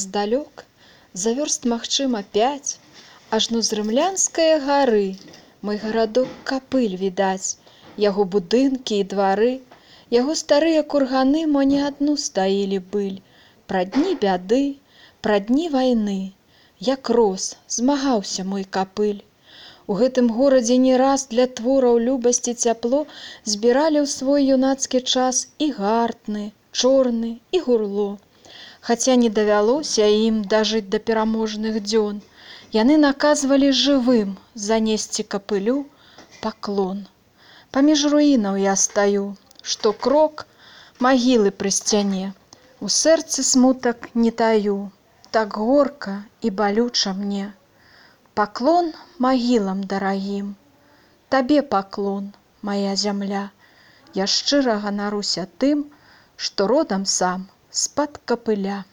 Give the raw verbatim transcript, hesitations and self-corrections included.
Здалёк, за вёрст, магчыма, пяць, ажно з рымлянскае гары мой гарадок Капыль відаць, яго будынкі і двары, яго старыя курганы мо не адну стаілі быль. Пра дні бяды, пра дні вайны, як рос, змагаўся мой Капыль. У гэтым горадзе не раз для твораў любасці цяпло збіралі ў свой юнацкі час і гартны, чорны і гурло. Хаця не давялося ім дажыць да пераможных дзён, яны наказвалі жывым занесці Капылю паклон. Паміж руінаў я стаю, што крок магілы пры сцяне, у сэрцы смутак не таю, так горка і балюча мне. Паклон магілам дарагім, табе паклон, мая зямля, я шчыра ганаруся тым, што родам сам з-пад Капыля.